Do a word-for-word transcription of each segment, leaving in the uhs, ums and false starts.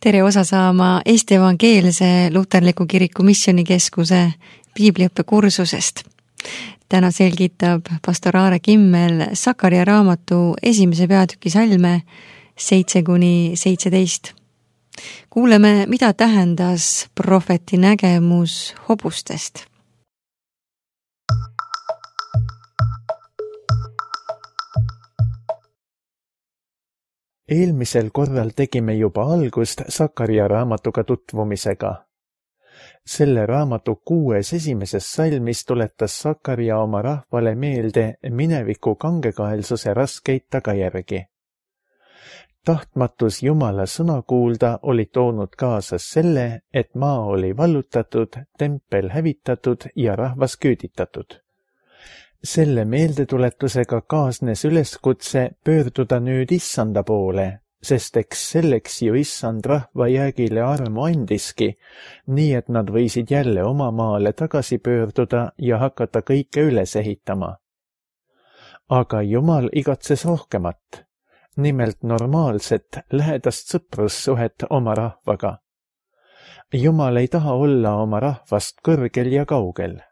tere osa saama Eesti Evangeelse Luterliku Kiriku Missioonikeskuse piibliõppekursusest. Täna selgitab pastor Aare Kimmel Sakaria raamatu esimese peatüki salme seitse kuni seitseteist. Kuuleme, mida tähendas prohveti nägemus hobustest. Eelmisel korral tegime juba algust Sakaria raamatuga tutvumisega. Selle raamatu kuues esimeses salmis tuletas Sakaria oma rahvale meelde mineviku kangekaelsuse raskeid tagajärgi. Tahtmatus Jumala sõna kuulda oli toonud kaasas selle, et maa oli vallutatud, tempel hävitatud ja rahvas küüditatud. Selle meeldetuletusega kaasnes üleskutse pöörduda nüüd Issanda poole, sest eks selleks ju Issand rahva jäägile armu andiski, nii et nad võisid jälle oma maale tagasi pöörduda ja hakata kõike üles ehitama. Aga Jumal igatses rohkemat, nimelt normaalset, lähedast sõprussuhet oma rahvaga. Jumal ei taha olla oma rahvast kõrgel ja kaugel.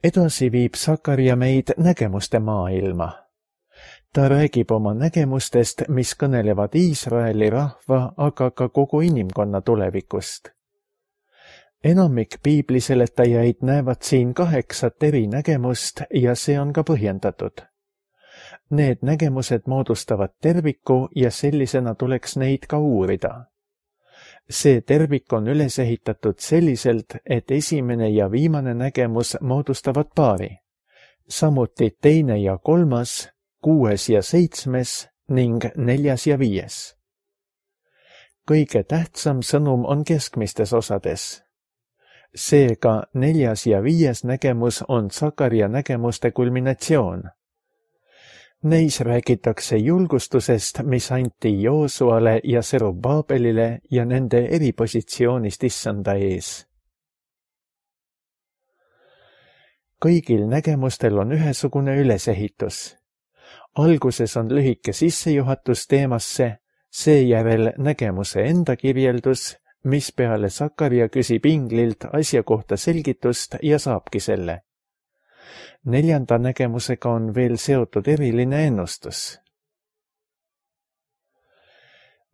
Edasi viib Sakaria meid nägemuste maailma. Ta räägib oma nägemustest, mis kõnelevad Iisraeli rahva, aga ka kogu inimkonna tulevikust. Enamik piibliseletajaid näevad siin kaheksat eri nägemust ja see on ka põhjendatud. Need nägemused moodustavad terviku ja sellisena tuleks neid ka uurida. See tervik on üles ehitatud selliselt, et esimene ja viimane nägemus moodustavad paari. Samuti teine ja kolmas, kuues ja seitsmes ning neljas ja viies. Kõige tähtsam sõnum on keskmistes osades. Seega neljas ja viies nägemus on Sakaria nägemuste kulminatsioon. Neis räägitakse julgustusest, mis anti Joosuale ja Serubabelile ja nende eripositsioonist Issanda ees. Kõigil nägemustel on ühesugune ülesehitus. Alguses on lühike sissejuhatus teemasse, seejärel nägemuse enda kirjeldus, mis peale Sakaria küsib inglilt asja kohta selgitust ja saabki selle. Neljanda nägemusega on veel seotud eriline ennustus.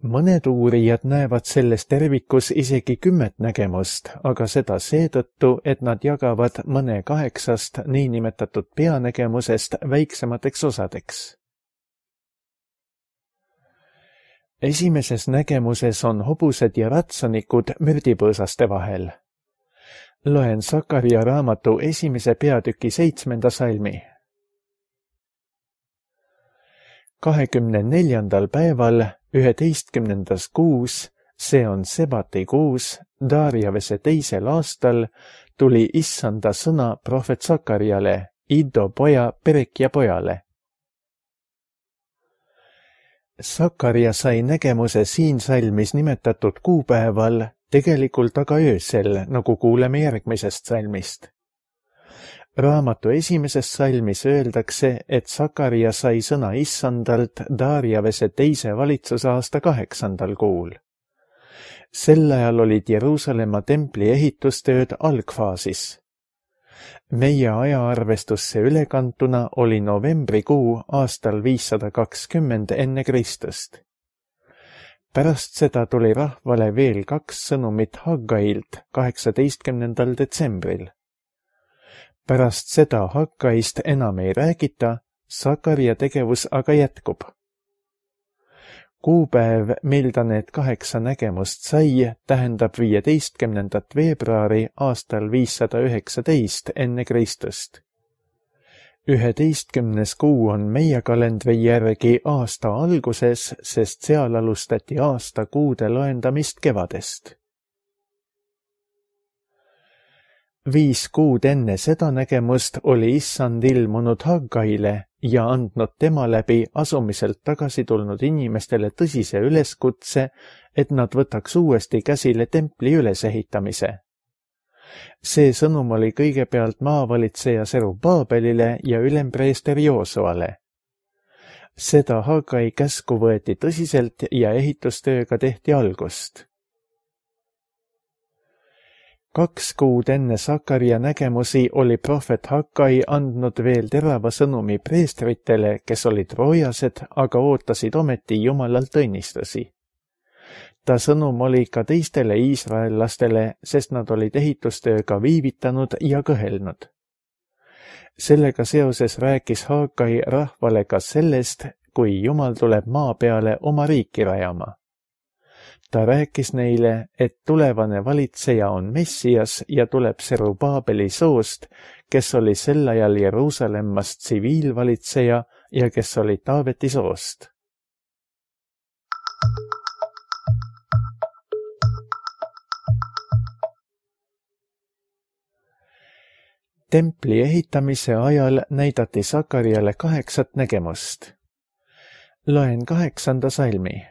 Mõned uurijad näevad selles tervikus isegi kümmet nägemust, aga seda seetõttu, et nad jagavad mõne kaheksast niinimetatud peanägemusest väiksemateks osadeks. Esimeses nägemuses on hobused ja ratsanikud mürdipõõsaste vahel. Loen Sakaria raamatu esimese peatüki seitsmenda salmi. kahekümne neljandal päeval, üheteistkümnendas kuus, see on Sebati kuus, Darjavese teisel aastal, tuli Issanda sõna prohvet Sakariale, Iddo poja Perekja pojale. Sakaria sai nägemuse siin salmis nimetatud kuupäeval, tegelikult aga öösel, nagu kuuleme järgmisest salmist. Raamatu esimeses salmis öeldakse, et Sakaria sai sõna Issandalt Darjavese teise valitsusaasta kaheksandal kuul. Sel ajal olid Jeruusalemma templi ehitustööd algfaasis. Meie ajaarvestusse ülekantuna oli novembrikuu aastal viissada kakskümmend enne Kristust. Pärast seda tuli rahvale veel kaks sõnumit Haggailt kaheksateistkümnendal detsembril. Pärast seda Haggaist enam ei räägita, Sakaria tegevus aga jätkub. Kuupäev, mil ta need kaheksa nägemust sai, tähendab viieteistkümnendat veebruari aastal viissada üheksateist enne Kristust. Üheteistkümnes kuu on meie kalendri järgi aasta alguses, sest seal alustati aasta kuude loendamist kevadest. Viis kuud enne seda nägemust oli Issand ilmunud Haggaile ja andnud tema läbi asumiselt tagasi tulnud inimestele tõsise üleskutse, et nad võtaks uuesti käsile templi ülesehitamise. See sõnum oli kõigepealt maavalitseja Serubabelile ja ülempreester Joosuale. Seda Hagai käsku võeti tõsiselt ja ehitustööga tehti algust. Kaks kuud enne Sakaria nägemusi oli prohvet Hagai andnud veel terava sõnumi preestritele, kes olid roojased, aga ootasid ometi Jumalalt õnnistusi. Ta sõnum oli ka teistele iisraellastele, sest nad olid ehitustööga viivitanud ja kõhelnud. Sellega seoses rääkis Hagai rahvale ka sellest, kui Jumal tuleb maa peale oma riiki rajama. Ta rääkis neile, et tulevane valitseja on Messias ja tuleb Serubaabeli soost, kes oli sel ajal Jeruusalemmas tsiviilvalitseja ja kes oli Taaveti soost. Templi ehitamise ajal näidati Sakariale kaheksat nägemust. Loen kaheksanda salmi.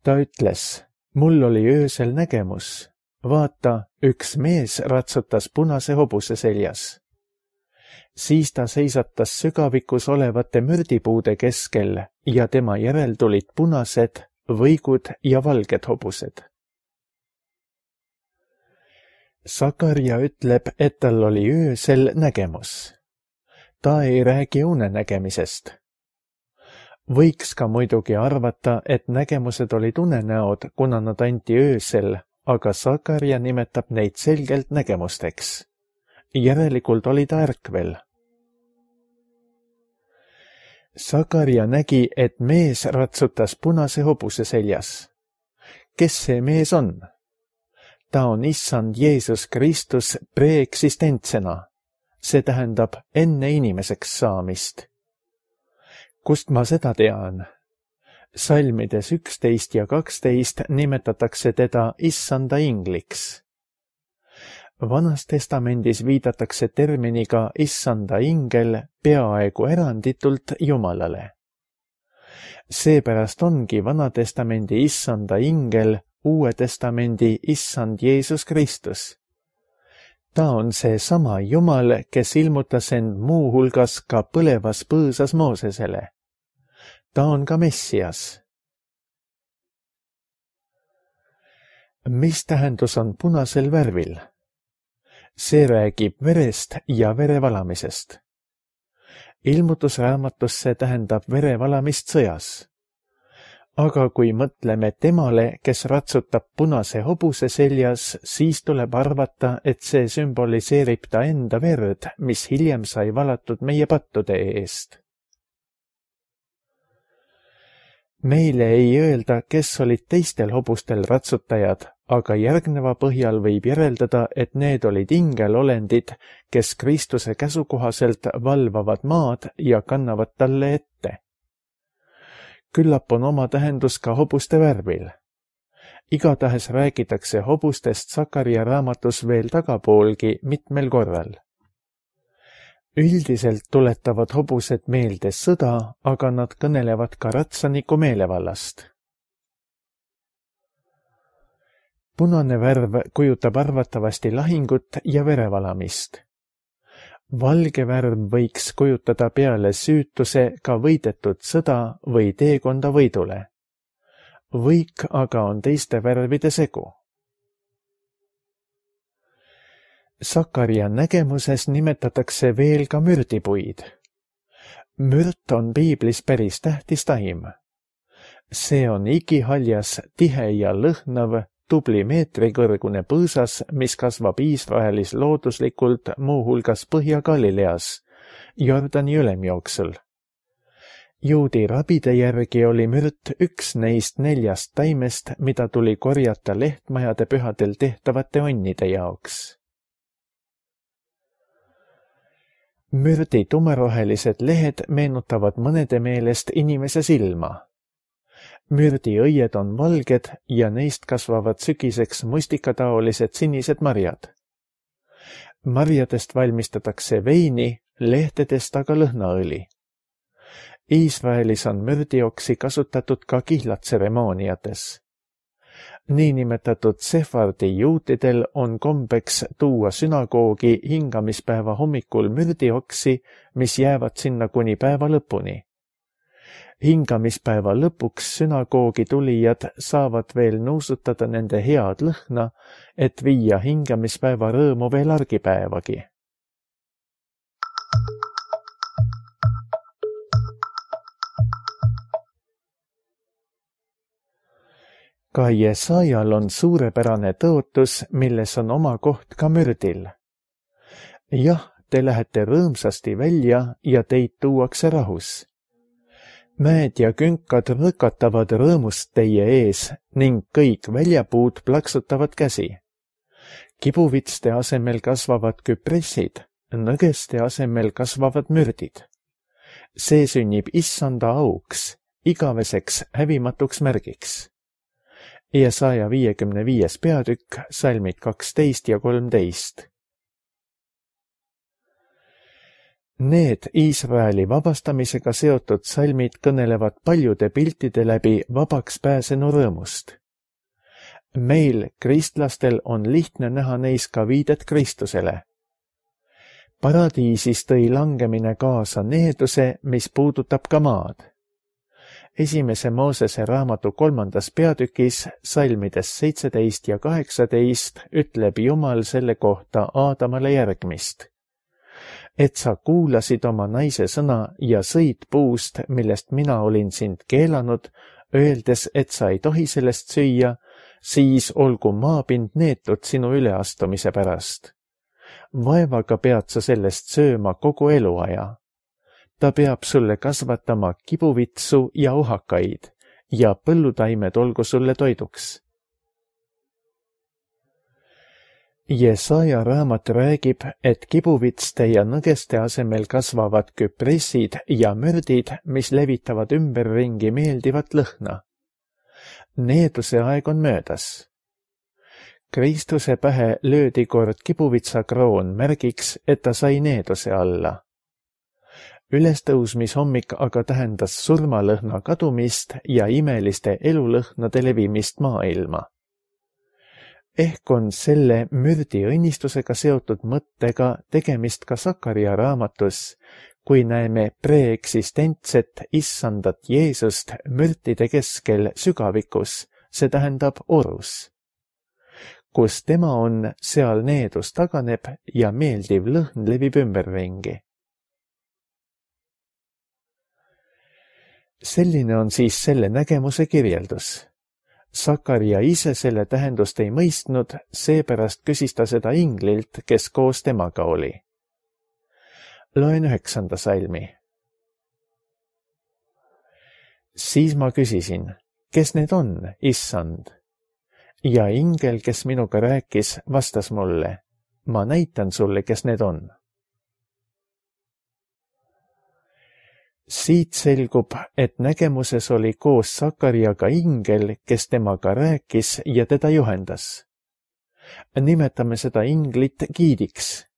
Ta ütles, mul oli öösel nägemus. Vaata, üks mees ratsutas punase hobuse seljas. Siis ta seisatas sügavikus olevate mürdipuude keskel ja tema järel tulid punased, võigud ja valged hobused. Sakaria ütleb, et tal oli öösel nägemus. Ta ei räägi unenägemisest. Võiks ka muidugi arvata, et nägemused olid unenäod, kuna nad anti öösel, aga Sakaria nimetab neid selgelt nägemusteks. Järelikult oli ta ärkvel. Sakaria nägi, et mees ratsutas punase hobuse seljas. Kes see mees on? Ta on issand Jeesus Kristus preeksistentsena. See tähendab enne inimeseks saamist. Kust ma seda tean? Salmides üksteist ja kaksteist nimetatakse teda issanda ingliks. Vanas testamendis viidatakse terminiga issanda ingel peaaegu eranditult Jumalale. Seepärast ongi Vana testamendi issanda ingel Uue testamendi issand Jeesus Kristus. Ta on see sama Jumal, kes ilmutas end muu hulgas ka põlevas põõsas Moosesele. Ta on ka Messias. Mis tähendus on punasel värvil? See räägib verest ja verevalamisest. Ilmutusraamatus see tähendab verevalamist sõjas. Aga kui mõtleme temale, kes ratsutab punase hobuse seljas, siis tuleb arvata, et see sümboliseerib ta enda verd, mis hiljem sai valatud meie pattude eest. Meile ei öelda, kes olid teistel hobustel ratsutajad, aga järgneva põhjal võib järeldada, et need olid ingelolendid, kes Kristuse käsu kohaselt valvavad maad ja kannavad talle ette. Küllap on oma tähendus ka hobuste värvil. Igatahes räägitakse hobustest Sakaria raamatus veel tagapoolgi mitmel korral. Üldiselt tuletavad hobused meelde sõda, aga nad kõnelevad ka ratsaniku meelevallast. Punane värv kujutab arvatavasti lahingut ja verevalamist. Valge värv võiks kujutada peale süütuse ka võidetud sõda või teekonda võidule. Võik aga on teiste värvide segu. Sakaria nägemuses nimetatakse veel ka mürdipuid. Mürt on piiblis päris tähtis taim. See on igihaljas, tihe ja lõhnav, tubli meetrikõrgune põõsas, mis kasvab Iisraelis looduslikult muu hulgas Põhja-Galileas, Jordani ülemjooksul. Juudi rabide järgi oli mürt üks neist neljast taimest, mida tuli korjata lehtmajade pühadel tehtavate onnide jaoks. Mürdi tumerohelised lehed meenutavad mõnede meelest inimese silma. Mürdi õied on valged ja neist kasvavad sügiseks mustikataolised sinised marjad. Marjadest valmistatakse veini, lehtedest aga lõhnaõli. Iisraelis on mürdioksi kasutatud ka kihlatseremooniates. Niinimetatud sefardi juutidel on kombeks tuua sünagoogi hingamispäeva hommikul mürdioksi, mis jäävad sinna kuni päeva lõpuni. Hingamispäeva lõpuks sünagoogi tulijad saavad veel nuusutada nende head lõhna, et viia hingamispäeva rõõmu veel argipäevagi. Ka Jesajal on suurepärane tõotus, milles on oma koht ka mürdil. Jah, te lähete rõõmsasti välja ja teid tuuakse rahus. Mäed ja künkad rõkatavad rõõmust teie ees ning kõik väljapuud plaksutavad käsi. Kibuvitste asemel kasvavad küpressid, nõgeste asemel kasvavad mürdid. See sünnib issanda auks, igaveseks hävimatuks märgiks. Jesaja viiekümne viies peatükk, salmid kaksteist ja kolmteist. Need Iisraeli vabastamisega seotud salmid kõnelevad paljude piltide läbi vabaks pääsenu rõõmust. Meil, kristlastel, on lihtne näha neis ka viidet Kristusele. Paradiisis tõi langemine kaasa needuse, mis puudutab ka maad. Esimese Moosese raamatu kolmandas peatükis, salmides seitseteist ja kaheksateist, ütleb Jumal selle kohta Aadamale järgmist. Et sa kuulasid oma naise sõna ja sõid puust, millest mina olin sind keelanud, öeldes, et sa ei tohi sellest süüa, siis olgu maapind neetud sinu üleastumise pärast. Vaevaga pead sa sellest sööma kogu eluaja. Ta peab sulle kasvatama kibuvitsu ja ohakaid ja põllutaimed olgu sulle toiduks. Jesaja raamat räägib, et kibuvitste ja nõgeste asemel kasvavad küpressid ja mürdid, mis levitavad ümberringi meeldivat lõhna. Needuse aeg on möödas. Kristuse pähe löödi kord kibuvitsakroon märgiks, et ta sai needuse alla. Ülestõusmishommik aga tähendas surmalõhna kadumist ja imeliste elulõhnade levimist maailma. Ehk on selle mürdi õnnistusega seotud mõttega tegemist ka Sakaria raamatus, kui näeme preeksistentset issandat Jeesust mürdide keskel sügavikus, see tähendab orus. Kus tema on, seal needus taganeb ja meeldiv lõhn levib ümberringi. Selline on siis selle nägemuse kirjeldus. Sakaria ise selle tähendust ei mõistnud, seepärast küsis ta seda inglilt, kes koos temaga oli. Loen üheksanda salmi. Siis ma küsisin, kes need on, issand? Ja ingel, kes minuga rääkis, vastas mulle, ma näitan sulle, kes need on. Siit selgub, et nägemuses oli koos Sakariaga ingel, kes temaga rääkis ja teda juhendas. Nimetame seda inglit giidiks.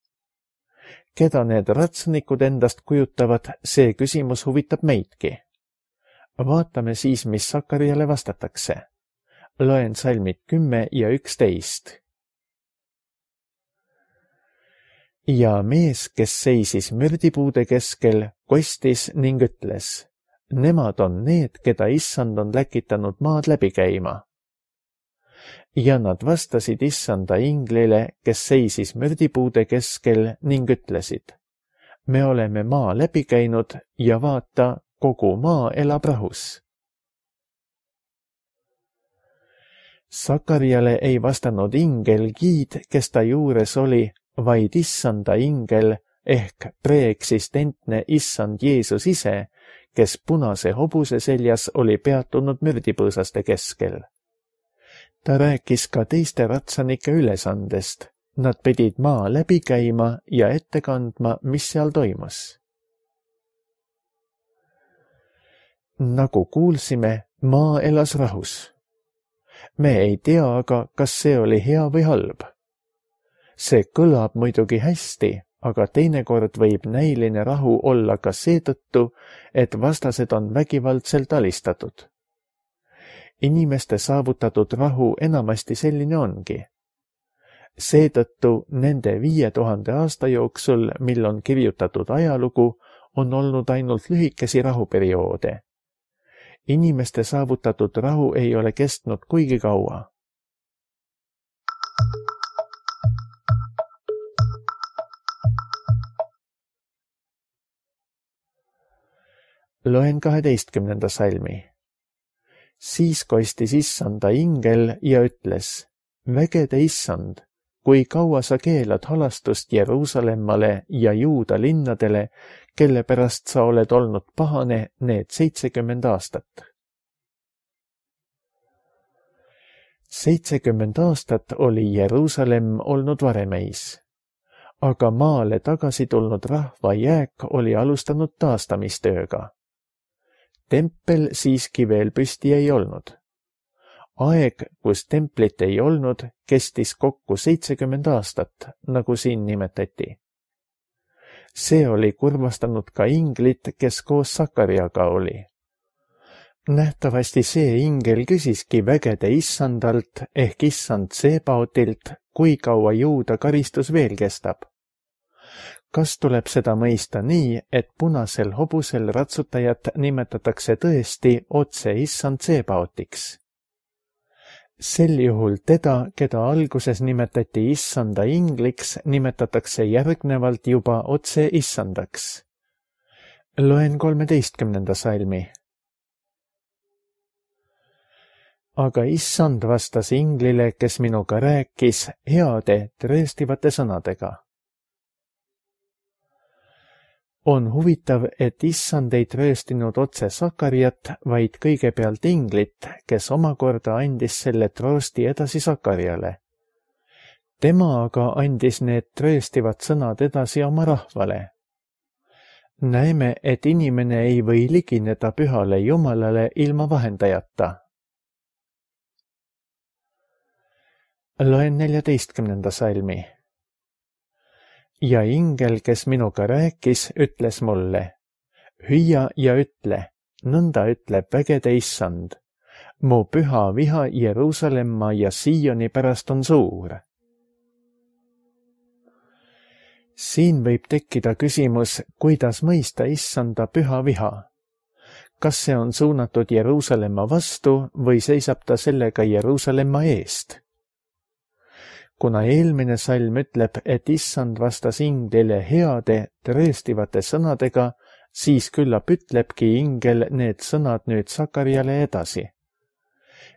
Keda need ratsanikud endast kujutavad, see küsimus huvitab meidki. Vaatame siis, mis Sakariale vastatakse. Loen salmid kümme ja üksteist. Ja mees, kes seisis mürdipuude keskel, kostis ning ütles, nemad on need, keda issand on läkitanud maad läbi käima. Ja nad vastasid issanda inglile, kes seisis mürdipuude keskel ning ütlesid, me oleme maa läbi käinud ja vaata, kogu maa elab rahus. Sakariale ei vastanud ingel giid, kes ta juures oli, vaid issanda ingel ehk preeksistentne issand Jeesus ise, kes punase hobuse seljas oli peatunud mürdipõõsaste keskel. Ta rääkis ka teiste ratsanike ülesandest. Nad pidid maa läbi käima ja ette kandma, mis seal toimus. Nagu kuulsime, maa elas rahus. Me ei tea aga, kas see oli hea või halb. See kõlab muidugi hästi, aga teinekord võib näiline rahu olla ka seetõttu, et vastased on vägivaldselt alistatud. inimeste saavutatud rahu enamasti selline ongi. Seetõttu nende viie tuhande aasta jooksul, mil on kirjutatud ajalugu, on olnud ainult lühikesi rahuperioode. Inimeste saavutatud rahu ei ole kestnud kuigi kaua. Loen kaheteistkümnenda salmi. Siis kostis issanda ingel ja ütles, vägede issand, kui kaua sa keelad halastust Jeruusalemmale ja Juuda linnadele, kelle pärast sa oled olnud pahane need seitsekümmend aastat. seitsekümmend aastat oli Jeruusalemm olnud varemeis, aga maale tagasi tulnud rahva jääk oli alustanud taastamistööga. Tempel siiski veel püsti ei olnud. Aeg, kus templit ei olnud, kestis kokku seitsekümmend aastat, nagu siin nimetati. See oli kurvastanud ka inglit, kes koos Sakariaga oli. Nähtavasti see ingel küsiski vägede issandalt ehk issand Sebaotilt, kui kaua Juuda karistus veel kestab. Kas tuleb seda mõista nii, et punasel hobusel ratsutajat nimetatakse tõesti otse issand Sebaotiks? Sel juhul teda, keda alguses nimetati issanda ingliks, nimetatakse järgnevalt juba otse issandaks. Loen kolmeteistkümnenda salmi. Aga issand vastas inglile, kes minuga rääkis, heade, trööstivate sõnadega. On huvitav, et issand ei trööstinud otse Sakariat, vaid kõigepealt inglit, kes omakorda andis selle troosti edasi Sakariale. Tema aga andis need trööstivad sõnad edasi oma rahvale. Näeme, et inimene ei või ligineda pühale Jumalale ilma vahendajata. Loen neljateistkümnenda salmi. Ja ingel, kes minuga rääkis, ütles mulle, hüüa ja ütle, nõnda ütleb vägede issand, mu püha viha Jeruusalemma ja Sioni pärast on suur. Siin võib tekkida küsimus, kuidas mõista issanda püha viha. Kas see on suunatud Jeruusalemma vastu või seisab ta sellega Jeruusalemma eest? Kuna eelmine salm ütleb, et issand vastas inglile heade, trööstivate sõnadega, siis küllap ütlebki ingel need sõnad nüüd Sakariale edasi.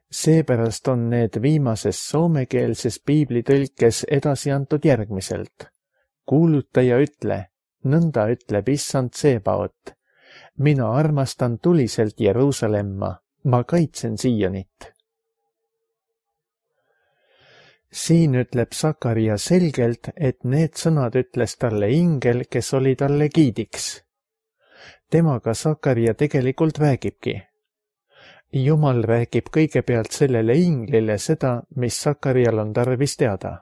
Seepärast on need viimases soomekeelses piiblitõlkes edasi antud järgmiselt. Kuuluta ja ütle, nõnda ütleb issand Sebaot. Mina armastan tuliselt Jeruusalemma, ma kaitsen Sionit. Siin ütleb Sakaria selgelt, et need sõnad ütles talle ingel, kes oli talle giidiks. Temaga Sakaria tegelikult räägibki. Jumal räägib kõigepealt sellele inglile seda, mis Sakarial on tarvis teada.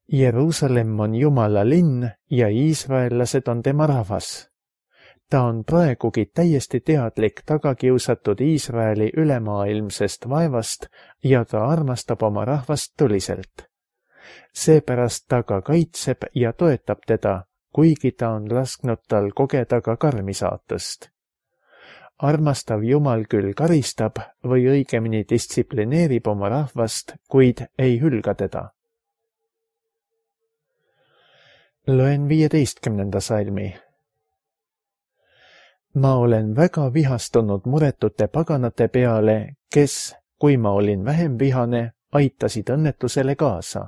Jeruusalemm on Jumala linn ja iisraellased on tema rahvas. Ta on praegugi täiesti teadlik tagakiusatud Iisraeli ülemaailmsest vaevast ja ta armastab oma rahvast tuliselt. Seepärast ta ka kaitseb ja toetab teda, kuigi ta on lasknud tal kogeda ka karmi saatust. Armastav Jumal küll karistab või õigemini distsiplineerib oma rahvast, kuid ei hülga teda. Loen viieteistkümnenda salmi. Ma olen väga vihastunud muretute paganate peale, kes, kui ma olin vähem vihane, aitasid õnnetusele kaasa.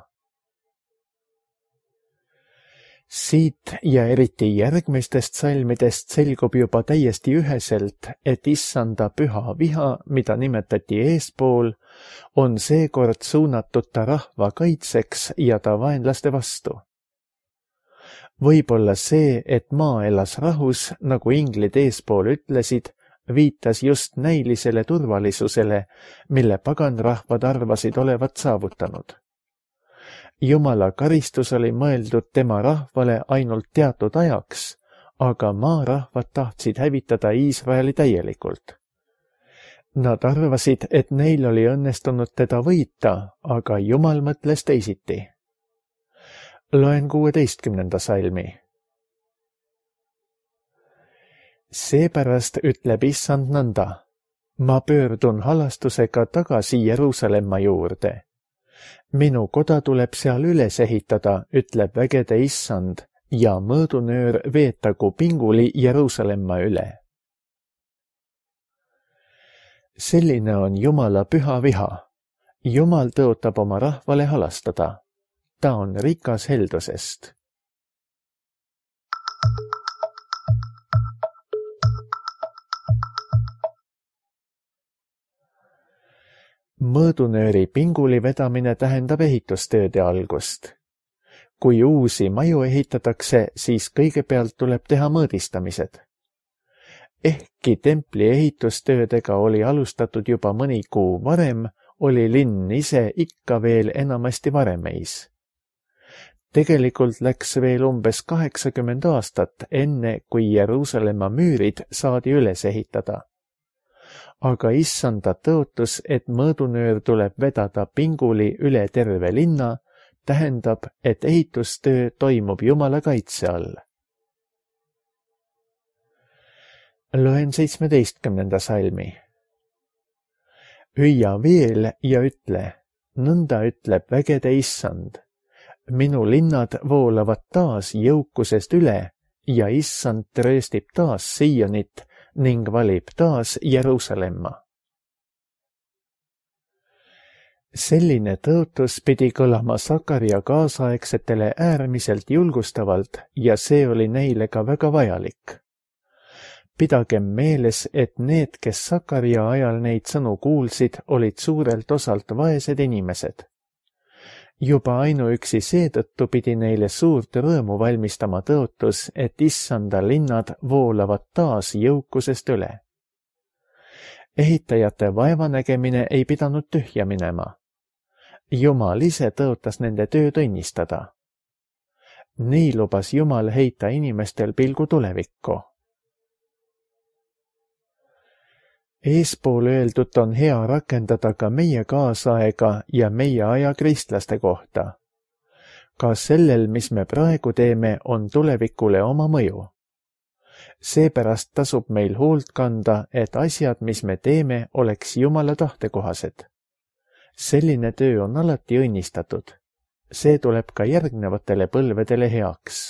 Siit ja eriti järgmistest salmidest selgub juba täiesti üheselt, et issanda püha viha, mida nimetati eespool, on seekord suunatud ta rahva kaitseks ja ta vaenlaste vastu. Võib-olla see, et maa elas rahus, nagu inglid eespool ütlesid, viitas just näilisele turvalisusele, mille paganrahvad arvasid olevat saavutanud. Jumala karistus oli mõeldud tema rahvale ainult teatud ajaks, aga maarahvad tahtsid hävitada Iisraeli täielikult. Nad arvasid, et neil oli õnnestunud teda võita, aga Jumal mõtles teisiti. Loen kuueteistkümnenda salmi. Seepärast ütleb Issand nõnda. Ma pöördun halastusega tagasi Jeruusalemma juurde. Minu koda tuleb seal üles ehitada, ütleb vägede Issand, ja mõõdunöör veetagu pinguli Jeruusalemma üle. Selline on Jumala püha viha. Jumal tõotab oma rahvale halastada. Ta on rikas heldusest. Mõõdunööri pinguli vedamine tähendab ehitustööde algust. Kui uusi maju ehitatakse, siis kõigepealt tuleb teha mõõdistamised. Ehkki templi ehitustöödega oli alustatud juba mõni kuu varem, oli linn ise ikka veel enamasti varemeis. Tegelikult läks veel umbes kaheksakümmend aastat enne, kui Jeruusalemma müürid saadi üles ehitada. Aga Issanda tõotus, et mõõdunöör tuleb vedada pinguli üle terve linna, tähendab, et ehitustöö toimub Jumala kaitse all. Loen seitsmeteistkümnenda salmi. Hüüa veel ja ütle, nõnda ütleb vägede Issand. Minu linnad voolavad taas jõukusest üle ja Issand trööstib taas Siionit ning valib taas Jeruusalemma. Selline tõotus pidi kõlama Sakaria kaasaegsetele äärmiselt julgustavalt ja see oli neile ka väga vajalik. Pidagem meeles, et need, kes Sakaria ajal neid sõnu kuulsid, olid suurelt osalt vaesed inimesed. Juba ainuüksi seetõttu pidi neile suurt rõõmu valmistama tõotus, et Issanda linnad voolavad taas jõukusest üle. Ehitajate vaevanägemine ei pidanud tühja minema. Jumal ise tõotas nende tööd õnnistada. Nii lubas Jumal heita inimestel pilgu tulevikku. Eespool öeldut on hea rakendada ka meie kaasaega ja meie aja kristlaste kohta. Ka sellel, mis me praegu teeme, on tulevikule oma mõju. Seepärast tasub meil hoolt kanda, et asjad, mis me teeme, oleks Jumala tahtekohased. Selline töö on alati õnnistatud. See tuleb ka järgnevatele põlvedele heaks.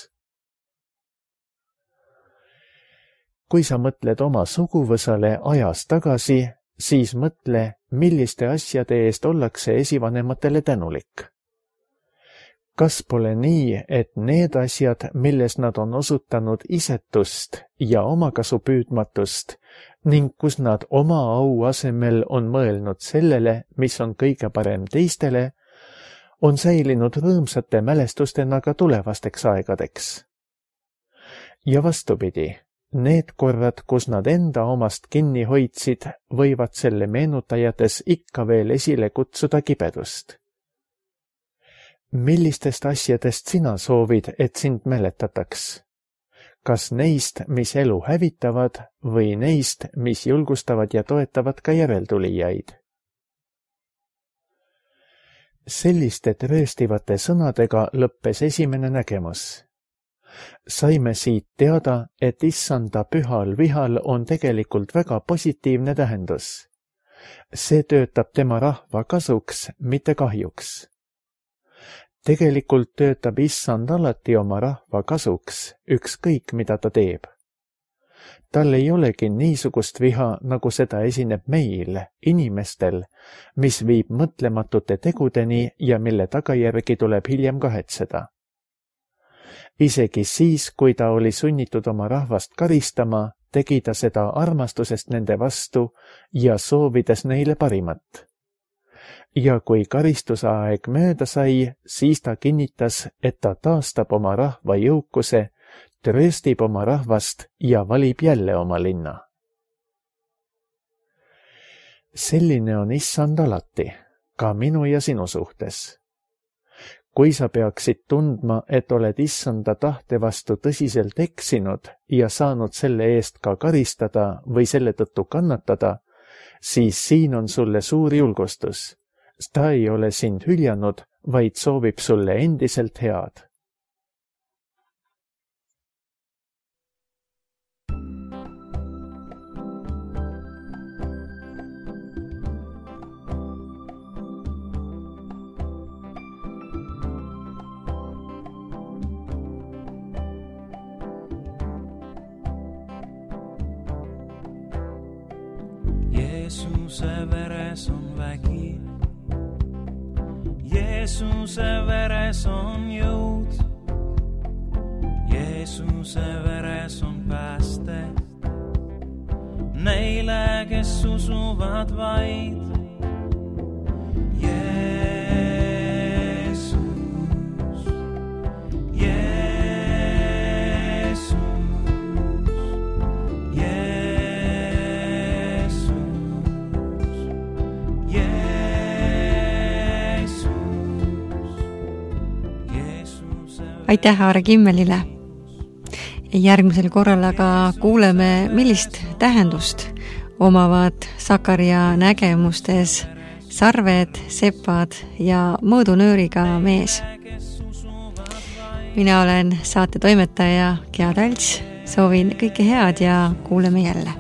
Kui sa mõtled oma suguvõsale ajas tagasi, siis mõtle, milliste asjade eest ollakse esivanematele tänulik. Kas pole nii, et need asjad, milles nad on osutanud isetust ja omakasu püüdmatust ning kus nad oma au asemel on mõelnud sellele, mis on kõige parem teistele, on säilinud rõõmsate mälestustena ka tulevasteks aegadeks. Ja vastupidi, need korrad, kus nad enda omast kinni hoidsid, võivad selle meenutajates ikka veel esile kutsuda kibedust. Millistest asjadest sina soovid, et sind mäletataks? Kas neist, mis elu hävitavad, või neist, mis julgustavad ja toetavad ka järeltulijaid? Selliste trööstivate sõnadega lõppes esimene nägemus. Saime siit teada, et Issanda pühal vihal on tegelikult väga positiivne tähendus. See töötab tema rahva kasuks, mitte kahjuks. Tegelikult töötab Issand alati oma rahva kasuks, ükskõik mida ta teeb. Tal ei olegi niisugust viha, nagu seda esineb meil, inimestel, mis viib mõtlematute tegudeni ja mille tagajärgi tuleb hiljem kahetseda. Isegi siis, kui ta oli sunnitud oma rahvast karistama, tegi ta seda armastusest nende vastu ja soovides neile parimat. Ja kui karistusaeg mööda sai, siis ta kinnitas, et ta taastab oma rahva jõukuse, trööstib oma rahvast ja valib jälle oma linna. Selline on Issand alati, ka minu ja sinu suhtes. kui sa peaksid tundma, et oled issanda tahte vastu tõsiselt eksinud ja saanud selle eest ka karistada või selle tõttu kannatada, siis siin on sulle suur julgustus. Ta ei ole sind hüljanud, vaid soovib sulle endiselt head. Jeesuse veres on vägi, Jeesuse veres on jõud, Jeesuse veres on pääste neile, kes usuvad vaid. Aitäh Aare Kimmelile. Järgmisel korral aga kuuleme, millist tähendust omavad Sakaria nägemustes sarved, sepad ja mõõdunööriga mees. Mina olen saate toimetaja Gea Talts, soovin kõike head ja kuuleme jälle.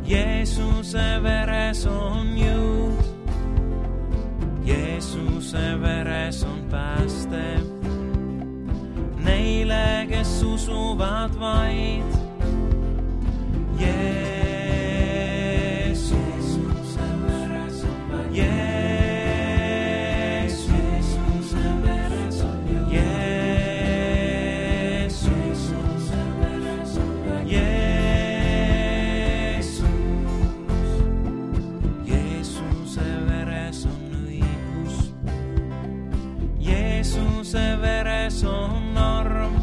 Jeesuse veres on jõud, Jeesuse veres on pääste neile, kes usuvad vaid. Jeesuse veres on vaid. Jeesuse veres on jõud. Jeesuse veres on vaid. Jeesuse veres on arm,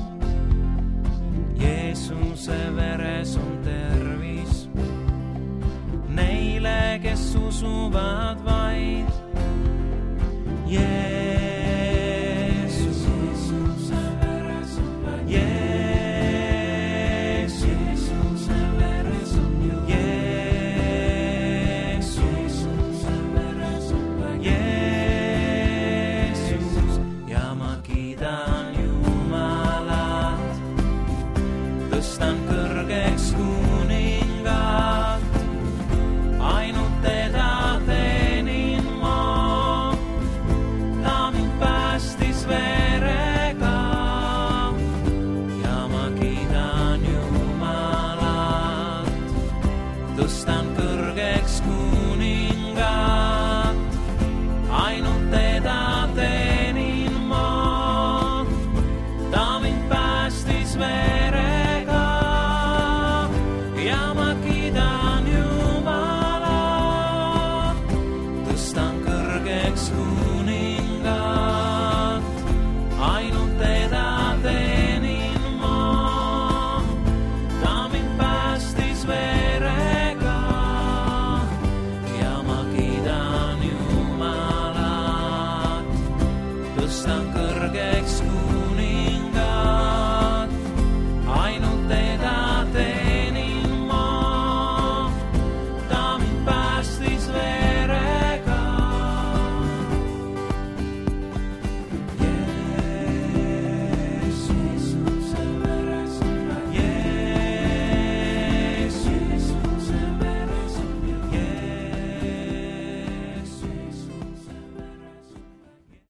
Jeesuse veres on tervis neile, kes usuvad vaid. Jeesuse veres on vaid. Jeesuse veres on jõud. Jeesuse veres on vaid. Tõstan kõrgeks kuningat, ainult teda teenin ma. Ta mind päästis verega ja ma kiidan Jumalat. Tõstan kõrgeks kuningat, ainult teda teenin ma. Ta mind päästis verega. Sunk